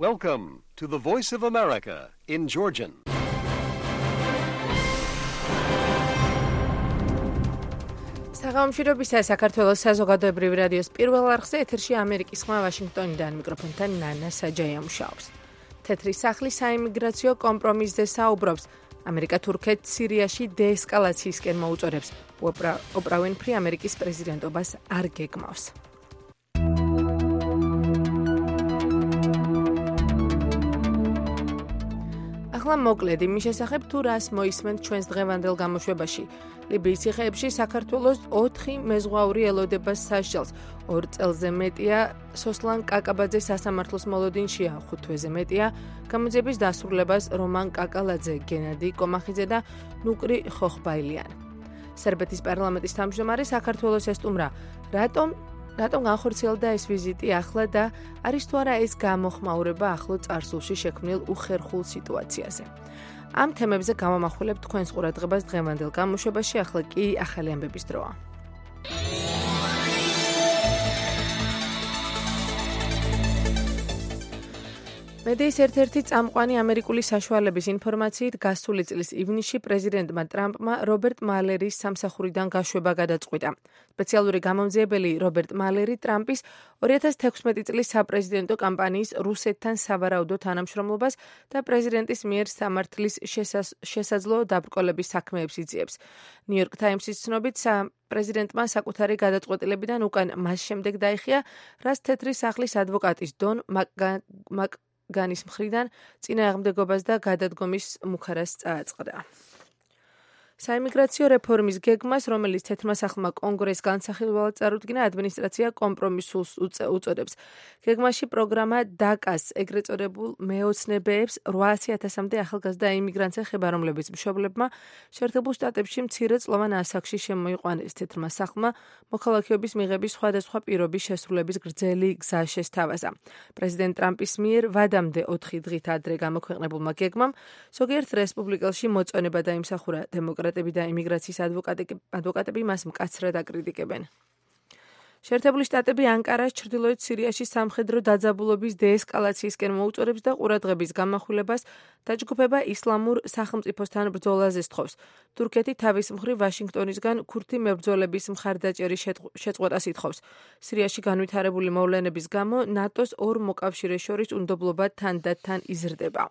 Welcome to the Voice of America in Georgian. საღამოშრობისა საქართველოს საზოგადოებრივი რადიოს პირველ არხზე ეთერში ამერიკის ხმა ვაშინგტონიდან მიკროფონთან ნანა საჯაია მუშაობს. თეთრი სახლი საიმიგრაციო კომპრომისზე საუბრობს. ამერიკა თურქეთს სირიაში დეესკალაციისკენ მოუწოდებს. ოპრა უინფრი ამერიკის პრეზიდენტობას არ გეგმავს. ახლა მოკლედ იმის შესახებ თუ რას მოისმენთ ჩვენს დღევანდელ გამოშვებაში. ლიბიის ციხეებში საქართველოს 4 მეზღვაური ელოდება სასჯელს. 2 წელზე მეტია სოსლან კაკაბაძეს სასამართლოს მოლოდინშია, 5 თვეზე მეტია გამოძიების დასრულებას რომან კაკალაძე, გენადი კომახიძე და ნუკრი ხოხბაილიან. სერბეთის პარლამენტის თავმჯდომარე საქართველოს ესტუმრა, რატომ განხორციელდა ეს ვიზიტი ახლა და არის თუ არა ეს გამოხმაურება ახლო წარსულში შექმნილ უხერხულ სიტუაციაზე. ამ თემებზე გამომახვილებთ თქვენს ყურადღებას დღევანდელ გამოშვებაში, ახლა კი ახალი ამბების დროა. მედიის ერთ-ერთი წამყვანი ამერიკული საშუალების ინფორმაციით გასული წლის ივნისში პრეზიდენტმა ტრამპმა რობერტ მალერის სამსახურიდან გაშვება გადაწყვიტა. სპეციალური გამომძიებელი რობერტ მალერი ტრამპის 2016 წლის საპრეზიდენტო კამპანიის რუსეთთან სავარაუდო თანამშრომლობას და პრეზიდენტის მიერ სამართლის შესაძლო დაბრკოლების საქმეებს იძიებს. ნიუ-იორკ ტაიმსის ცნობით პრეზიდენტმა საკუთარი გადაწყვეტილებიდან უკან მას შემდეგ დაიხია, რაც თეთრი სახლის ადვოკატის დონ მაკგანის მხრიდან წინააღმდეგობას და გადადგომის მუქარას წააწყდა. საიმიგრაციო რეფორმის გეგმას, რომელიც თეთრმა სახლმა კონგრესს განსახილველად წარუდგინა, ადმინისტრაცია კომპრომისულს უწოდებს. გეგმაში პროგრამა დაკას ეგრეთ წოდებულ მეოცნებეებს 800,000-მდე ახალგაზრდა იმიგრანტს ეხება, რომლებიც მშობლებმა შეერთებულ შტატებში მცირეწლოვან ასაკში შემოიყვანეს. თეთრმა სახლმა მოქალაქეობის მიღების სხვადასხვა პირობის შესრულების გრძელი გზა შესთავაზა. პრეზიდენტ ტრამპის მიერ ვადამდე 4 დღით ადრე გამოქვეყნებულმა გეგმამ ზოგიერთ რესპუბლიკელში მოწონება დაიმსახურა. დემოკრატები და იმიგრაციის ადვოკატები მას მკაცრად აკრიტიკებენ. შეერთებული შტატები ანკარას ჩრდილოეთ სირიაში სამხედრო დაძაბულობის დეესკალაციისკენ მოუწოდებს და ყურადღების გამახვილებას დაჯგუფება ისლამურ სახელმწიფოსთან ბრძოლაზე სთხოვს. თურქეთი თავის მხრივ ვაშინგტონისგან ქურთი მებრძოლების მხარდაჭერის შეწყვეტას ითხოვს. სირიაში განვითარებული მოვლენების გამო ნატოს 2 მოკავშირეს შორის უნდობლობა თანდათან იზრდება.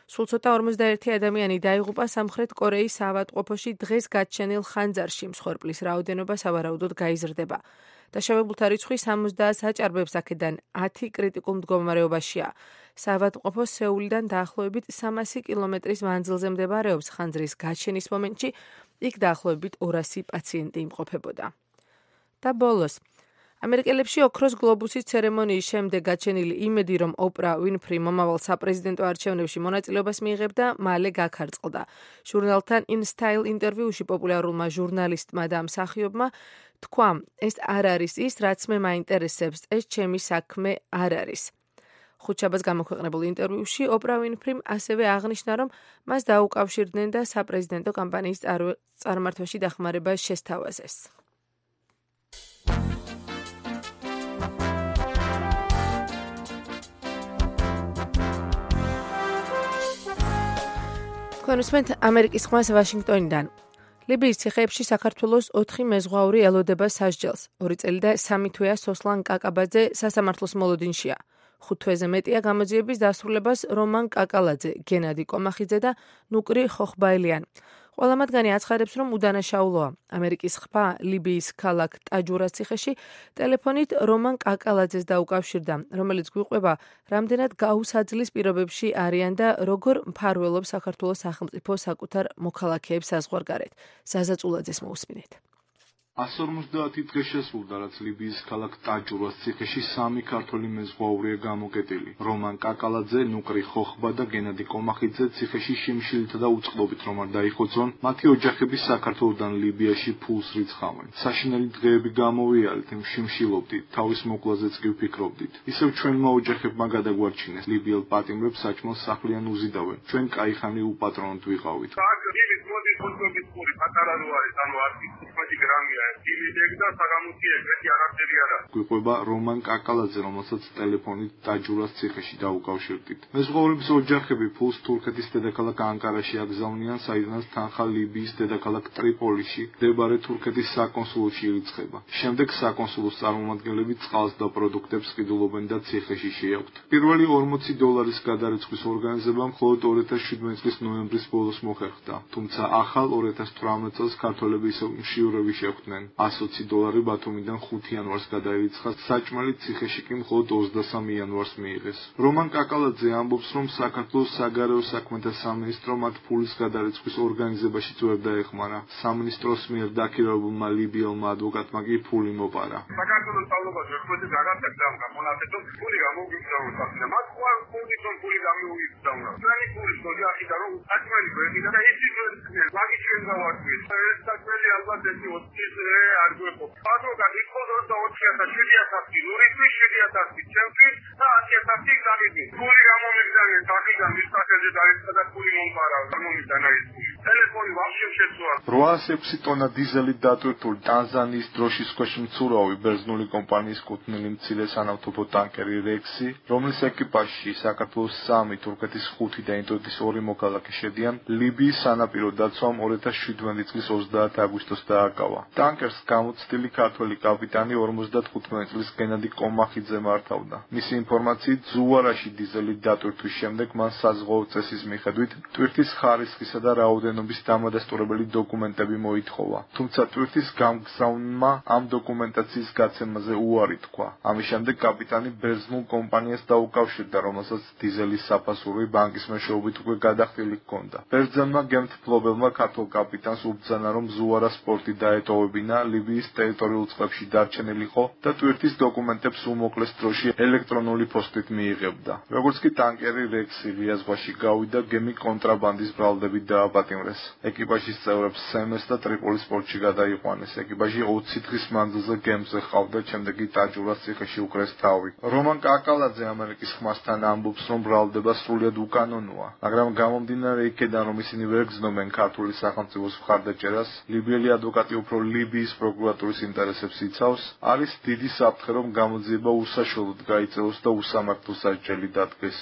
სულ ცოტა 51 ადამიანი დაიღუპა სამხრეთ კორეის საავადმყოფოში დღეს გაჩენილ ხანძარში. მსხვერპლის რაოდენობა სავარაუდოდ გაიზრდება. დაშავებულთა რიცხვი 70-ს აჭარბებს, აქედან 10 კრიტიკულ მდგომარეობაშია. საავადმყოფო სეულიდან დაახლოებით 300 კილომეტრის მანძილზე მდებარეობს. ხანძრის გაჩენის მომენტში იქ დაახლოებით 200 პაციენტი იმყოფებოდა. და ბოლოს ამერიკელებში ოქროს გლობუსის ცერემონიის შემდეგ გაჩენილი იმედი, რომ ოპრა უინფრი მომავალ საპრეზიდენტო არჩევნებში მონაწილეობას მიიღებდა, მალე გაქარწყლდა. ჟურნალთან In Style ინტერვიუში პოპულარულმა ჟურნალისტმა და მსახიობმა თქვა, ეს არ არის ის, რაც მე მაინტერესებს, ეს ჩემი საქმე არ არის. ხუთშაბათს გამოქვეყნებულ ინტერვიუში ოპრა უინფრიმ ასევე აღნიშნა, რომ მას დაუკავშირდნენ და საპრეზიდენტო კამპანიის წარმართვაში დახმარება შესთავაზეს. თქვენ უსმენთ ამერიკის ხმას ვაშინგტონიდან. ლიბიის ციხეებში საქართველოს 4 მეზღვაური ელოდება სასჯელს. 2 წელი და 3 თვეა სოსლან კაკაბაძე სასამართლოს მოლოდინშია. 5 თვეზე მეტია გამოძიების დასრულებას რომან კაკალაძე, გენადი კომახიძე და ნუკრი ხოხბაილიან. ყველა მათგანი აცხადებს, რომ უდანაშაულოა. ამერიკის ხმა ლიბიის ქალაქ ტაჯურას ციხეში ტელეფონით რომან კაკალაძეს დაუკავშირდა, რომელიც გვიყვება, რამდენად გაუსაძლის პირობებში არიან და როგორ მფარველობს საქართველოს სახელმწიფო საკუთარ მოქალაქეებს საზღვარგარეთ. ზაზა წულაძეს მოусმინეთ. 150 დღე შესრულდა, რაც ლიბიის ქალაქ ტაჯურას ციხეში 3 ქართველი მეზღვაურია გამოკეტილი. რომან კაკალაძე, ნუკრი ხოხბა და გენადი კომახიძე ციხეში შიმშილითა და უწყლობით რომ არ დაიხოცონ, მათი ოჯახები საქართველოდან ლიბიაში ფულს რიცხავენ. საშინელი დღეები გამოვიარეთ, იმ შიმშილობდით, თავის მოკლაზეც კი ვფიქრობდით. ისევ ჩვენმა ოჯახებმა გადაგვარჩინეს, ლიბიელ პატიმრებს საჭმელს სახლიან უზიდავენ. ჩვენ კაიხანი უპატრონოდ ვიყავით. 18 გრამია დიმედეკ და საგამოთი ეგრეთი არაფერი არა. გვიყვება რომან კაკალაძე, რომელსაც ტელეფონით დაჯურას ციხეში დაუკავშირდით. მეზღვაურების ოჯახები ფულს თურქეთის დედაქალაქ ანკარაში აგზავნიან, საიდანაც თანხა ლიბიის დედაქალაქ ტრიპოლიში მდებარე თურქეთის საკონსულოში ირიცხება. შემდეგ საკონსულოს წარმომადგენლები წყალს და პროდუქტებს ყიდულობენ და ციხეში შეაქვთ. პირველი $40 გადარიცხვის ორგანიზება მხოლოდ 2017 წლის ნოემბრის ბოლოს მოხერხდა, თუმცა ახალ 2018 წელს ქართველები ისევ მშიურები შეხვდნენ. $120 ბათუმიდან 5 იანვარს გადაირიცხა, საჭმელი ციხეში კი მხოლოდ 23 იანვარს მიიღეს. რომან კაკალაძე ამბობს, რომ საქართველოს საგარეო საქმეთა სამინისტრო მათ ფულის გადარიცხვის ორგანიზებაშიც ვერ დაეხმარა. სამინისტროს მიერ დაქირავებულმა ლიბიელმა ადვოკატმა კი ფული მოპარა. საქართველოს სწავლობას ვერცხლზე გადაგაკეთდა ამ გამონათეთო ფული გამოგიგზავნა. მათ ხوار კონდიციონი ფული გამოგიგზავნა. ჩვენი ფულის ოჯახიდან რომ საჭმელი გვერდიდა და ის ის მაგის ჩვენ გავარკვიეთ. ეს საჭმელი ალბათ ეს 20 არ გვეყო. ადვოკატი ხოდო და 4000 ლურისთვის 7000 ჩემთვის და 100000 გამიდი. ფული გამომიგზავნა დაგიდან მის სახელზე დაიწყო და ფული მომყარა. გამომიგზავნა ის ფული. ტელეფონი ვაფშე შეცვალა. 806 ტონა დიზელი დატვირთული ტანზანიის დროშის ქვეშ მცურავი ბერძნული კომპანიის კუთვნილი მცირე სანავთობო ტანკერი რექსი, რომლის ეკიპაჟში საქართველოს 3, თურქეთის 5 და ინდოეთის 2 მოქალაქე შედიან, ლიბიის სანაპირო დაცვამ 2017 წლის 30 აგვისტოს დააკავა. ტანკერს გამოცდილი ქართველი კაპიტანი 55 წლის გენადი კომახიძე მართავდა. მისი ინფორმაციით, ზუარაში დიზელი დატვირთვის შემდეგ მან საზღვაო წესის მიხედვით ტვირთის ხარისხისა და რაოდენობის დამადასტურებელი დოკუმენტები მოითხოვა. თუმცა ტვირთის გამგზავნმა ამ დოკუმენტაციის გაცემაზე უარი თქვა. ამის შემდეგ კაპიტანი ბერძნულ კომპანიას დაუკავშირდა, რომელსაც დიზელის საფასური ბანკის მეშვეობით უკვე გადახდილი ჰქონდა. ბერძენმა გემთმფლობელმა ქართულ კაპიტანს უბრძანა, რომ ზუარა სპორტი დაეტოვებინა, ლიბიის ტერიტორიულ წყლებში დარჩენილიყო და ტვირთის დოკუმენტებს უმოკლეს დროში ელექტრონული პოსტით მიიღებდა. როგორც კი ტანკერი რექსი რიას ზღვაში გავიდა, გემი კონტრაბანდის ბრალდებით დააპატიმრეს. ეკიპაჟის წევრებს სემეს და ტრიპოლის პორტში გადაიყვანეს. ეკიპაჟი 20 დღის მანძილზე გემზე ყავდა, შემდეგ კი დაჯურას ციხეში უკრეს თავი. რომან კაკალაძე ამერიკის ხმასთან ამბობს, რომ ბრალდება სრულიად უკანონოა, მაგრამ გამომდინარე იქედან, რომ ისინი ვერ გრძნობენ ქართული სახელმწიფოს მხარდაჭერას, ლიბიელი ადვოკატი უფრო ლიბიის პროკურატურის ინტერესებს იცავს, არის დიდი საფრთხე, რომ გამოძიება უსაშველოდ გაიწეოს და უსამართლო სასჯელი დადგეს.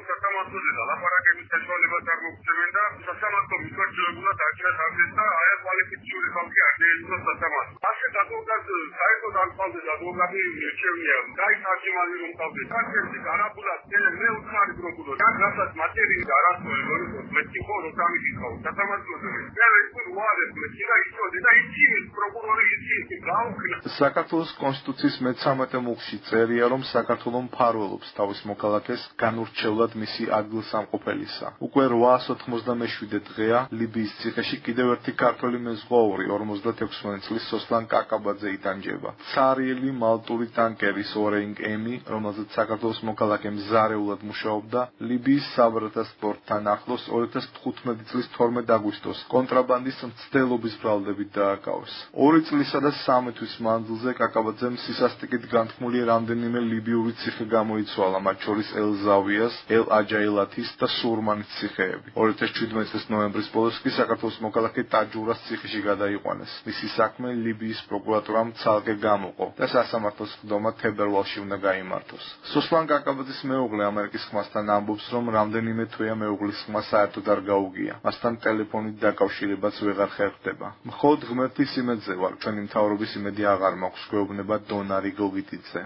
სასამართლოზე ლაპარაკების საშუალებას არ მოგცემენ და სასამართლო მიწვევებულად აჭრას აღდეს და აი კვალიფიციური ხალხი არ დაეცვა სასამართლო. ასეთ ადვოკატს საერთოდ არ ყავდეს ადვოკატი მირჩევნია. გაითარგმანი რომ ყავდეს. კაცები არაბულად დენენ მე უცხარი პროკურორი. აქ რასაც მატერიალი არასწორი როგორ მეტი ხო რომ გამიგიყავ სასამართლოზე. მე ვიყო უარეს მე და იცოდე და იცი პროკურორი იცი გაუქნა. საქართველოს კონსტიტუციის მე-13 მუხლში წერია, რომ საქართველო მფარველობს თავის მოქალაქეს განურჩევლად მისი ადგილსამყოფელისა. უკვე 897 დღეა ლიბიის ციხეში კიდევ ერთი ქართველი მეზღვაური 56 წლის სოსლან კაკაბაძე იტანჯება. ცარიელი მალტური ტანკერის ორეინგ ემი, რომელზეც საქართველოს მოქალაქე მზარეულად მუშაობდა, ლიბიის საბრალდას პორტთან ახლოს 2015 წლის 12 აგვისტოს კონტრაბანდის მცდელობის ბრალდებით დააკავეს. 2 წლისა და 3 თვის მანძილზე კაკაბაძემ სისასტიკით განთქმული რამდენიმე ლიბიური ციხე გამოიცვალა, მათ შორის ელ-ზავიას, ელ-აჯაილათის და სურმანის ციხეები. 2017 წლის ნოემბრის ბოლოს კი საქართველოს მოქალაქე დაჯურას ციხეში გადაიყვანეს. მისი საქმე ლიბიის პროკურატურამ ცალკე გამოყო და სასამართლოს ხდომა თებერვალში უნდა გაიმართოს. სოსლან კაკაბაძის მეუღლე ამერიკის ხმასთან ამბობს, რომ რამდენიმე თვეა მეუღლის ხმა საერთოდ არ გაუგია. მასთან ტელეფონით დაკავშირებაც ვეღარ ხერხდება. მხოლოდ ღმერთის იმედზე ვარ, ჩვენი მთავრობის იმედი აღარ მაქვს, გვეუბნება დონარი გოგიტიძე.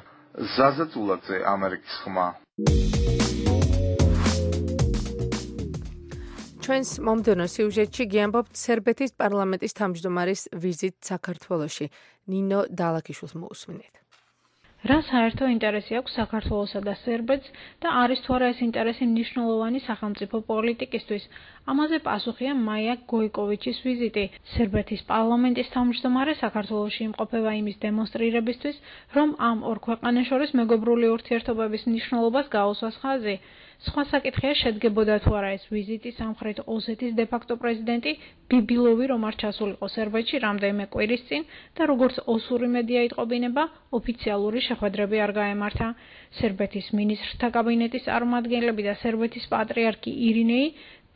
ზაზა წულაძე, ამერიკის ხმა. ჩვენს მომდევნო სიუჟეტში გიამბობთ სერბეთის პარლამენტის თავმჯდომარის ვიზიტ საქართველოში. ნინო დალაქიშვილს მოусმინეთ. რა საერთო ინტერესი აქვს საქართველოსა და სერბეთს და არის თუ არა ეს ინტერესი მნიშვნელოვანი სახელმწიფო პოლიტიკისთვის? ამაზე პასუხია მაია გოიკოვიჩის ვიზიტი. სერბეთის პარლამენტის თავმჯდომარე საქართველოში იმყოფება იმის დემონსტრირებისთვის, რომ ამ ორ ქვეყანას შორის მეგობრული ურთიერთობების მნიშვნელობას გაუსვას ხაზი. სხვა საკითხია შედგებოდა თუ არა ეს ვიზიტი სამხრეთ ოსეთის დე-ფაქტო პრეზიდენტი ბიბილოვი რომ არ ჩასულიყო სერბეთში რამდენიმე კვირის წინ და როგორც ოსური მედია იტყობინება, ოფიციალური შეხვედრები არ გაემართა. სერბეთის მინისტრთა კაბინეტის წარმომადგენლები და სერბეთის პატრიარქი ირინეი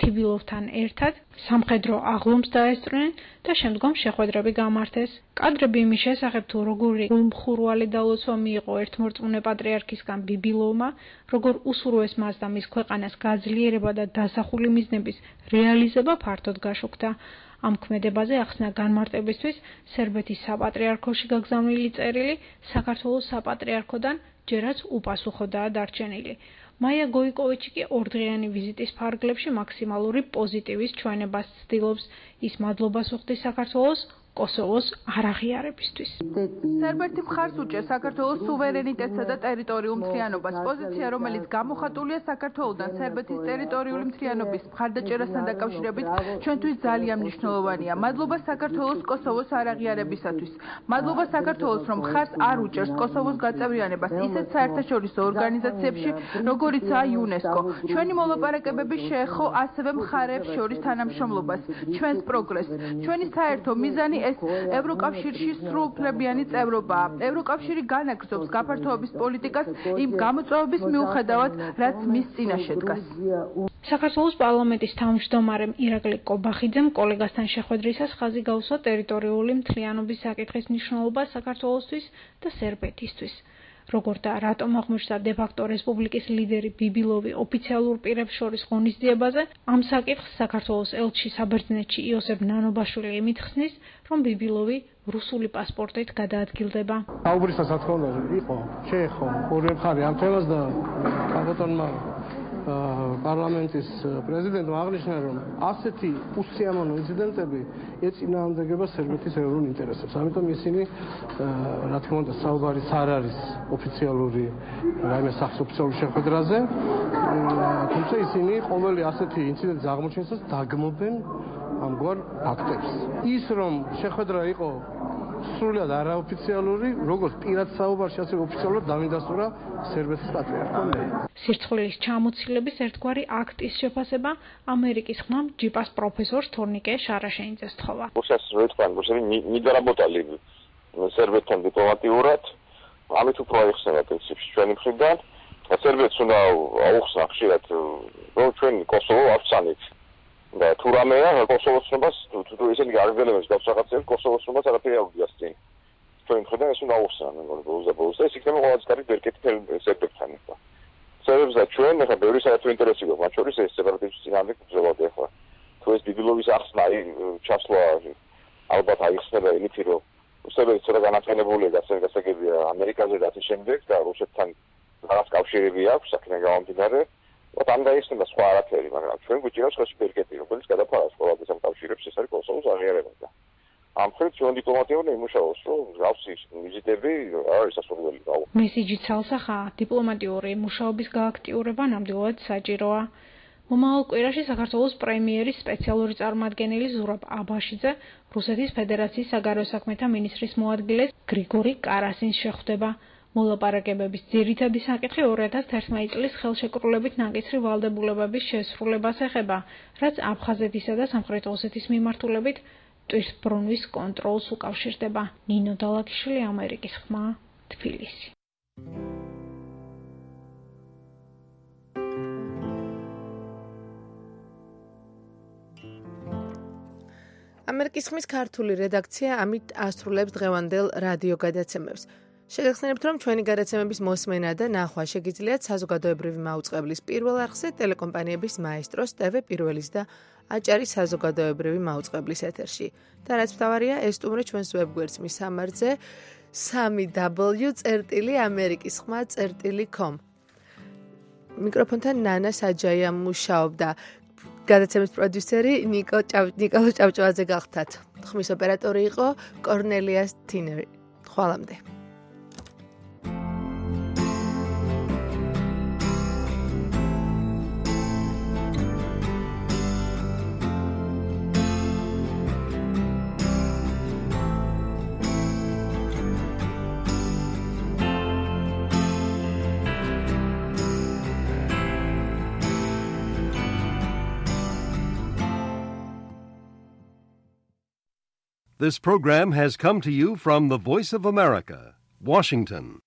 თიბილოვთან ერთად სამხედრო აღლუმს დაესწრნენ და შემდგომ შეხვედრები გამართეს. კადრები იმის შესახებ, თუ როგორი გულმხურვალი დალოცვა მიიღო ერთმორწმუნე პატრიარქისგან ბიბილოვმა, როგორ უსურვეს მას და მის ქვეყანას გაძლიერება და დასახული მიზნების რეალიზება ფართოდ გაშუქდა. ამ ქმედებაზე ახსნა განმარტებისთვის სერბეთის საპატრიარქოში გაგზავნილი წერილი საქართველოს საპატრიარქოდან ჯერაც უპასუხოდაა დარჩენილი. მაია გოიკოვიჩი კი ორდღიანი ვიზიტის ფარგლებში მაქსიმალური პოზიტივის ჩვენებას ცდილობს. ის მადლობას უხდის საქართველოს კოსოვოს არაღიარებისთვის. სერბეთი მხარს უჭერს საქართველოს სუვერენიტეტსა და ტერიტორიულ მთლიანობას. პოზიცია, რომელიც გამოხატულია საქართველოდან სერბეთის ტერიტორიული მთლიანობის მხარდაჭერასთან დაკავშირებით, ჩვენთვის ძალიან მნიშვნელოვანია. მადლობა საქართველოს კოსოვოს არაღიარებისათვის. მადლობა საქართველოს, რომ მხარს არ უჭერს კოსოვოს გაწევრიანებას ისეთ საერთაშორისო ორგანიზაციებში, როგორიცაა იუნესკო. ჩვენი მოლაპარაკებები შეეხო ასევე მხარეებს შორის თანამშრომლობას, ჩვენს პროგრესს. ჩვენი საერთო მიზანი ეს ევროკავშირში სრულუფლებიანი წევრობაა. ევროკავშირი განაგრძობს გაფართოების პოლიტიკას იმ გამოწვევების მიუხედავად, რაც მის წინაშე დგას. საქართველოს პარლამენტის თავმჯდომარემ ირაკლი კობახიძემ კოლეგასთან შეხვედრისას ხაზი გაუსვა ტერიტორიული მთლიანობის საკითხის მნიშვნელობას საქართველოსთვის და სერბეთისთვის. როგორც და რატომ აღმოჩნდა დე-ფაქტო რესპუბლიკის ლიდერი ბიბილოვი ოფიციალურ პირებს შორის ღონისძიებაზე, ამ საკითხს საქართველოს ელჩი საბერძნეთში იოსებ ნანობაშვილი იმითხსნის, რომ ბიბილოვი რუსული პასპორტით გადაადგილდება. აუბრისას რა თქმა უნდა იყო, შეეხო ორივე მხარე ამ თემას და ბატონმა პარლამენტის პრეზიდენტმა აღნიშნა, რომ ასეთი უსიამოვნო ინციდენტები ეწინააღმდეგება სერბეთის ეროვნულ ინტერესებს. ამიტომ ისინი რა თქმა უნდა საუბარიც არ არის ოფიციალური რაიმე სახსოფლისეულ შეხვედრაზე, თუმცა ისინი ყოველი ასეთი ინციდენტის აღმოჩენისას დაგმობენ ამგვარ აქტებს. ის რომ შეხვედრა იყო სრულად არაოფიციალური, როგორც პირად საუბარში, ასევე ოფიციალურად დავინდასტურა სერბეთის პატრიარქომ. სირცხვილის ჩამოცილების ერთგვარი აქტის შეფასება ამერიკის ხმამ ჯიპას პროფესორს თორნიკე შარაშენიძეს თხოვა. Сейчас როიტყვან, не доработали სერბეთთან დიპლომატიურად, ამით უფრო აიხსნება პრინციპში ჩვენი მხრიდან. სერბეთს უნდა აუხსნა ხშირად, რომ ჩვენ კოსოვო ავცანით. და თუ რამეა კოსოვოს ცნობას, თუ ისინი არგზელებს გავს რაღაცებს, კოსოვოს ცნობას არაფერი არ უდგას წინ. ჩვენი მხრიდან ეს უნდა აუხსნა, მე მგონი ბოლოს და ეს იქნება ყველაზე კარგი ბერკეტი სერბებთან ახლა. სერბებს და ჩვენ ახლა ბევრი საერთო ინტერესი გვაქვს, მათ შორის ეს სეპარატისტების წინააღმდეგ ბრძოლა ახლა. თუ ეს ბიბილოვის ახსნა ჩასვლა ალბათ აიხსნება იმით, რომ რუსები ცოტა განაყენებულია გასაგებია ამერიკაზე და ასე შემდეგ და რუსეთთან რაღაც კავშირები აქვს, აქედან გამომდინარე. ამ დაიხსნება სხვა არაფერი, მაგრამ ჩვენ გვიჭირავს ხელში ბერკეტი, რომელიც გადაფარავს ყველას ამ კავშირებს, ეს არის კოსოვოს აღიარება. ამ ხელით ჩვენ დიპლომატია უნდა იმუშაოს, რომ მსგავსი ვიზიტები არის სასურველი. მესიჯი ცალსახაა, დიპლომატიური მუშაობის გააქტიურება ნამდვილად საჭიროა. მომავალ კვირაში საქართველოს პრემიერის სპეციალური წარმომადგენელი ზურაბ აბაშიძე რუსეთის ფედერაციის საგარეო საქმეთა მინისტრის მოადგილეს გრიგორი კარასინს შეხვდება. მოლაპარაკებების ძირითადი საკითხი 2011 წლის ხელშეკრულებით ნაკისრი ვალდებულებების შესრულებას ეხება, რაც აფხაზეთისა და სამხრეთ ოსეთის მიმართულებით ტვირთბრუნვის კონტროლს უკავშირდება. ნინო დალაკიშვილი, ამერიკის ხმა, თბილისი. ამერიკის ხმის ქართული რედაქცია ამით ასრულებს დღევანდელ რადიო გადაცემებს. შეგახსენებთ, რომ ჩვენი გადაცემების მოსმენა და ნახვა შეგიძლიათ საზოგადოებრივი მაუწყებლის პირველ არხზე ტელეკომპანიების მაესტროს, TV პირველის და აჭარის საზოგადოებრივი მაუწყებლის ეთერში. და რაც მთავარია, ეს სტუმრი ჩვენს ვებგვერდს მისამართზე www.amerikisxma.com. მიკროფონთან ნანა საჯაია მუშაობდა. გადაცემის პროდიუსერი ნიკოლო ჭავჭავაძე გახდათ. ხმის ოპერატორი იყო კორნელია თინერი. ხვალამდე. This program has come to you from the Voice of America, Washington.